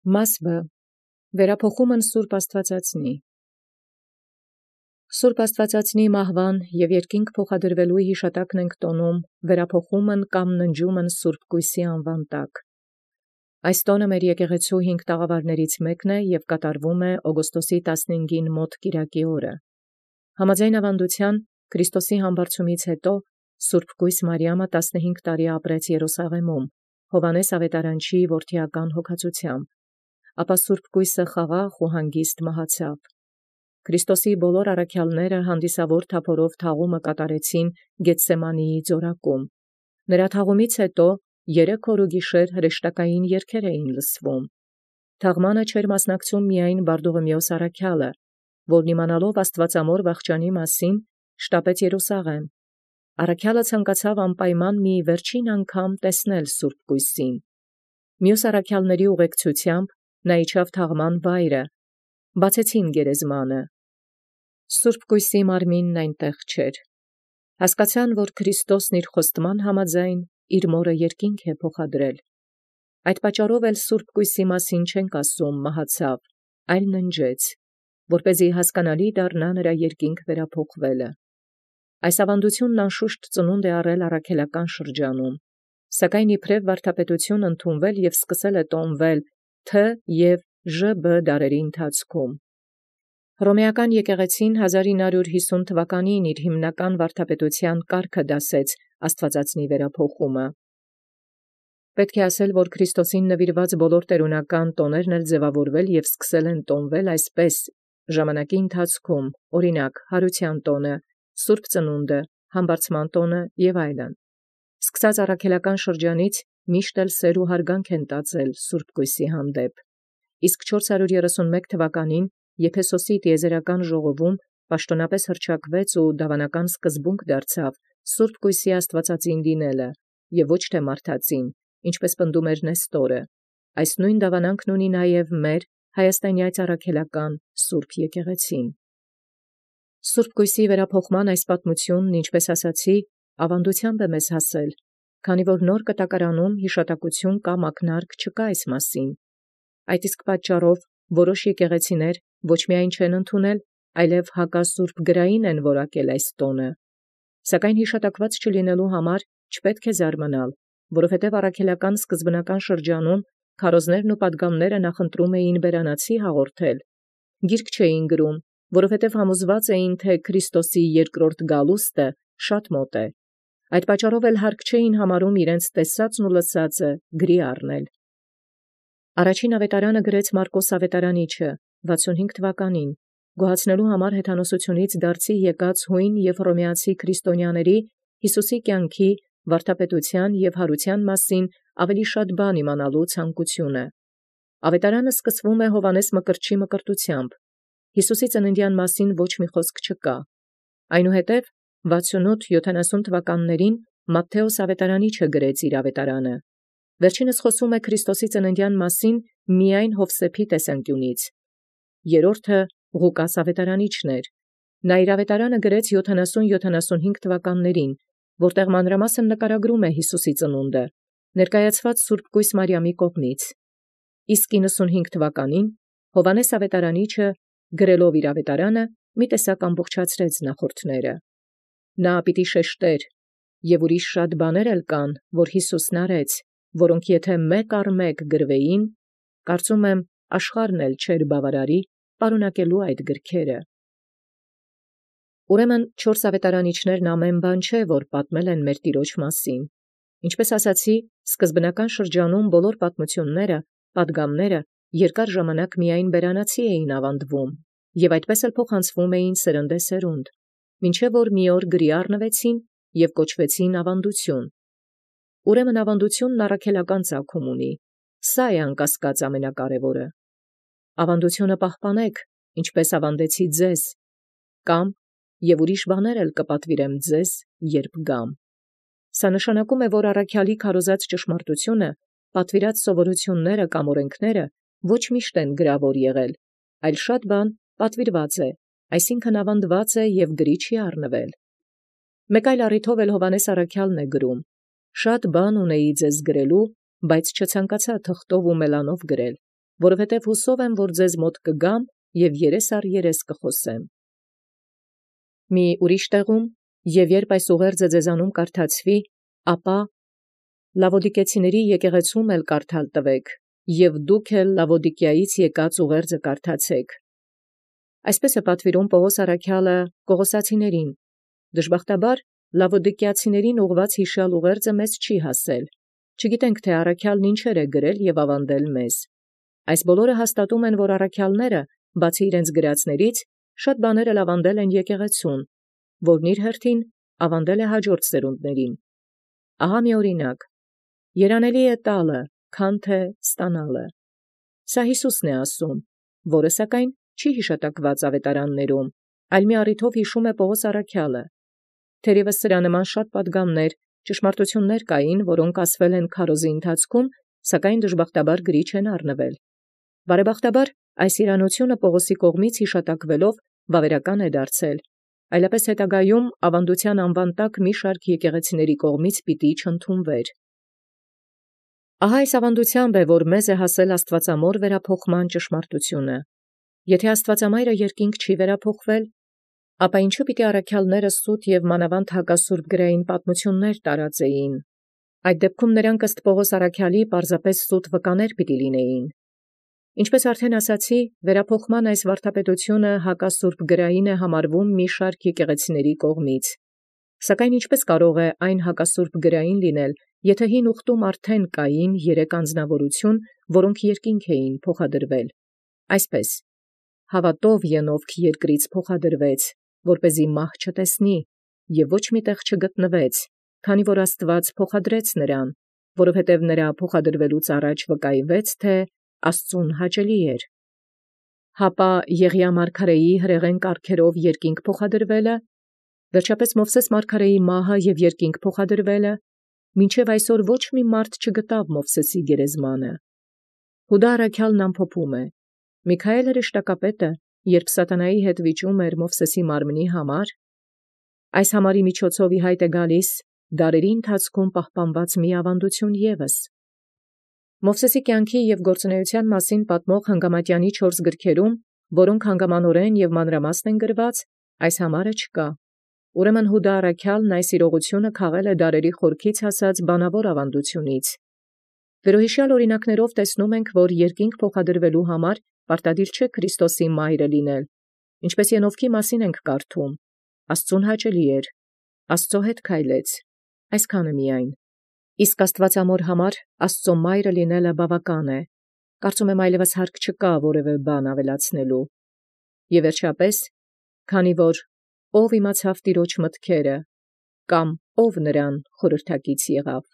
Մասվը վերափոխումն Սուրբ Աստվածածնի։ Սուրբ Աստվածածնի մահվան և երկինք փոխադրվելու հիշատակն ենք տոնում վերափոխումն կամ ննջումն Սուրբ Կույսի անվան տակ։ Այս տոնը մեր եկեղեցու 5 տաղավարներից մեկն է և կատարվում է օգոստոսի 15-ին մոտ կիրակի օրը։ Համաձայն ավանդության Քրիստոսի համբարձումից հետո Սուրբ Կույս Մարիամը 15 տարի ապրեց Երուսաղեմում, Հովհաննես Ավետարանչի որդիական հոգացությամբ, ապա Սուրբ Կույսը խաղաղ ու հանգիստ մահացավ։ Քրիստոսի բոլոր առաքյալները հանդիսավոր թափորով թաղումը կատարեցին Գեթսեմանիի ձորակում։ Նրա թաղումից հետո 3 օր ու գիշեր հրեշտակային երգեր էին լսվում։ Թաղմանը չէր մասնակցում միայն Բարդուղիմեոս առաքյալը, որն իմանալով Աստվածամոր վախճանի մասին շտապեց Երուսաղեմ։ Առաքյալը ցանկացավ անպայման մի վերջին անգամ տեսնել Սուրբ Կույսին։ Մյուս առաքյալների ուղեկցությամբ նա իջավ թաղման վայրը, բացեցին գերեզմանը։ Սուրբ Կույսի մարմինն այնտեղ չէր։ Հասկացան, որ Քրիստոսն իր խոստման համաձայն իր մորը երկինք է փոխադրել։ Այդ պատճառով էլ Սուրբ Կույսի մասին չենք ասում մահացավ, այլ ննջեց, որպեսզի հասկանալի դառնա նրա երկինք վերափոխվելը։ Այս ավանդությունն անշուշտ ծնունդ է առել առաքելական շրջանում, սակայն իբրև վարդապետություն ընդունվել և սկսել է տոնվել Թ և Ժ.Բ. դարերի ընթացքում։ Հռոմեական եկեղեցին 1950 թվականին իր հիմնական վարդապետության կարգը դասեց Աստվածածնի վերափոխումը։ Պետք է ասել, որ Քրիստոսին նվիրված բոլոր տերունական տոներն էլ ձևավորվել և սկսել են տոնվել այսպես ժամանակի ընթացքում, օրինակ Հարության տոնը, Սուրբ Ծնունդը, Համբարձման տոնը և այլն։ Սկսած առաքելական շրջանից միշտ էլ սեր ու հարգանք են տածել Սուրբ Կույսի հանդեպ։ Իսկ 431 թվականին Եփեսոսի տիեզերական ժողովում պաշտոնապես հռչակվեց ու դավանական սկզբունք դարձավ Սուրբ Կույսի Աստվածածին դինելը և ոչ թե մարդածին, ինչպես պնդում էր Նեստորը։ Այս նույն դավանանքն ունի նաև մեր հայաստանյաց առաքելական Սուրբ եկեղեցին։ Սուրբ Կույսի վերափոխման այս պատմությունն, ինչպես ասացի, ավանդությամբ է մեզ հասել, քանի որ նոր կտակարանում հիշատակություն կամ ակնարկ չկա այս մասին։ Այդ իսկ պատճառով որոշ եկեղեցիներ ոչ միայն չեն ընդունել, այլև հակասուրբ գրային են որակել այս տոնը։ Սակայն հիշատակված չլինելու համար չպետք է զարմանալ, որովհետև առաքելական սկզբնական շրջանում քարոզներն ու պատգամները նախընտրում էին բերանացի հաղորդել։ Գիրք չէին գրում, որովհետև համոզված էին, թե Քրիստոսի երկրորդ գալուստը շատ մոտ է։ Այդ պատճառով էլ հարկ չէին համարում իրենց տեսածն ու լսածը գրի առնել։ Առաջին ավետարանը գրեց Մարկոս ավետարանիչը 65 թվականին, գոհացնելու համար հեթանոսությունից դարձի եկած հույն և հռոմեացի քրիստոնյաների Հիսուսի կյանքի, վարդապետության և հարության մասին ավելի շատ բան իմանալու ցանկությունը։ Ավետարանը սկսվում է Հովհաննես Մկրտչի մկրտությամբ։ Հիսուսի ծննդյան մասին ոչ մի խոսք չկա։ Այնուհետև 68-70 թվականներին Մատթեոս ավետարանիչը գրեց իր ավետարանը։ Վերջինս խոսում է Քրիստոսի ծննդյան մասին միայն Հովսեփի տեսանկյունից։ Երրորդը Ղուկաս ավետարանիչն էր։ Նա իր ավետարանը գրեց 70-75 թվականներին, որտեղ մանրամասն նկարագրում է Հիսուսի ծնունդը, ներկայացված Սուրբ Կույս Մարիամի կողմից։ Իսկ 95 թվականին Հովհաննես ավետարանիչը գրելով իր ավետարանը մի տեսակ ամբողջացրեց նախորդները։ Նա պիտի շեշտեր, և ուրիշ շատ բաներ էլ կան, որ Հիսուսն արեց, որոնք եթե մեկ առ մեկ գրվեին, կարծում եմ աշխարհն էլ չէր բավարարի պարունակելու այդ գրքերը։ Ուրեմն 4 ավետարանիչներն ամեն բան չէ, որ պատմել են մեր Տիրոջ մասին։ Ինչպես ասացի, սկզբնական շրջանում բոլոր պատմությունները, պատգամները երկար ժամանակ միայն բերանացի էին ավանդվում, և այդպես էլ փոխանցվում էին սերնդեսերունդ, մինչև որ մի օր գրի առնվեցին և կոչվեցին ավանդություն։ Ուրեմն ավանդությունն առաքելական ծագում ունի, սա է անկասկած ամենակարևորը։ Ավանդությունը պահպանեք, ինչպես ավանդեցի ձեզ, կամ և ուրիշ բաներ էլ կպատվիրեմ ձեզ, երբ գամ։ Սա նշանակում է, որ առաքյալի քարոզած ճշմարտությունը, պատվիրած սովորությունները կամ օրենքները ոչ միշտ են գրավոր եղել, այլ շատ բան պատվիրված է, այսինքն ավանդված է և գրի չի առնվել։ Մեկ այլ առիթով էլ Հովհաննես առաքյալն է գրում. «Շատ բան ունեի ձեզ գրելու, բայց չցանկացա թղթով ու մելանով գրել, որովհետև հուսով եմ, որ ձեզ մոտ կգամ և երես առ երես կխոսեմ։ Մի ուրիշ տեղում, և երբ այս ուղերձը ձեզանում կարդացվի, ապա Լավոդիկեցիների եկեղեցում էլ կարդալ տվեք, և դուք էլ Լավոդիկիայից եկած ուղերձը կարդացեք։ Այսպես է պատվիրում Պողոս առաքյալը Կողոսացիներին։ Դժբախտաբար Լավոդիկիացիներին ուղված հիշյալ ուղերձը մեզ չի հասել։ Չգիտենք, թե առաքյալն ինչեր է գրել և ավանդել մեզ։ Այս բոլորը հաստատում են, որ առաքյալները, բացի իրենց գրածներից, շատ բաներ էլ ավանդել են եկեղեցուն, որն իր հերթին ավանդել է հաջորդ սերունդներին։ Ահա մի օրինակ. երանելի է տալը, քան թե ստանալը։ Սա Հիսուսն է ասում, որը սակայն չի հիշատակված ավետարաններում, այլ մի առիթով հիշում է Պողոս առաքյալը։ Թերևս սրա նման շատ պատգամներ, ճշմարտություններ կային, որոնք ասվել են քարոզի ընթացքում, սակայն դժբախտաբար գրի չեն առնվել։ Բարեբախտաբար այս իրանությունը Պողոսի կողմից հիշատակվելով վավերական է դարձել, այլապես հետագայում ավանդության անվան տակ մի շարք եկեղեցիների կողմից պիտի չընդունվեր։ Ահա այս ավանդությամբ է, որ մեզ է հասել Աստվածամոր վերափոխման ճշմարտությունը։ Եթե Աստվածամայրը երկինք չի վերափոխվել, ապա ինչու պիտի առաքյալները սուտ և մանավանդ հակասուրբ գրային պատմություններ տարածեին։ Այդ դեպքում նրանք ըստ Պողոս առաքյալի պարզապես սուտ վկաներ պիտի լինեին։ Ինչպես արդեն ասացի, վերափոխման այս վարդապետությունը հակասուրբ գրային է համարվում մի շարք եկեղեցիների կողմից։ Սակայն ինչպես կարող է այն հակասուրբ գրային լինել, եթե հին ուխտում արդեն կային 3 անձնավորություն, որոնք երկինք էին փոխադրվել։ Այսպես. հավատով Ենովք երկրից փոխադրվեց, որպեսզի մահ չտեսնի, և ոչ մի տեղ չգտնվեց, քանի որ Աստված փոխադրեց նրան, որովհետև նրա փոխադրվելուց առաջ վկայվեց, թե Աստծուն հաճելի էր։ Հապա Եղիա մարգարեի հրեղեն կարգերով երկինք փոխադրվելը, վերջապես Մովսես մարգարեի մահը և երկինք փոխադրվելը, մինչև այսօր ոչ մի մարդ չգտավ Մովսեսի գերեզմանը։ Հուդա առաքյալն ամփոփում է. Միքայել հրեշտակապետը, երբ սատանայի հետ վիճում էր Մովսեսի մարմնի համար, այս համարի միջոցով ի հայտ է գալիս դարերի ընթացքում պահպանված մի ավանդություն ևս։ Մովսեսի կյանքի և գործունեության մասին պատմող Հանգամատյանի 4 գրքերում, որոնք հանգամանորեն և մանրամասն են գրված, այս համարը չկա։ Ուրեմն Հուդա առաքյալն այս իրողությունը քաղել է դարերի խորքից հասած բանավոր ավանդությունից։ Վերոհիշյալ օրինակներով տեսնում ենք, որ երկինք փոխադրվելու համար պարտադիր չէ Քրիստոսի մայրը լինել, ինչպես Ենովքի մասին ենք կարդում. Աստծուն հաճելի էր, Աստծո հետ քայլեց, այսքանը միայն։ Իսկ Աստվածամոր համար Աստծո մայրը լինելը բավական է։ Կարծում եմ այլևս հարկ չկա որևէ բան ավելացնելու։ Եվ վերջապես, քանի որ ով իմացավ Տիրոջ մտքերը, կամ ով նրան խորհրդակից եղավ։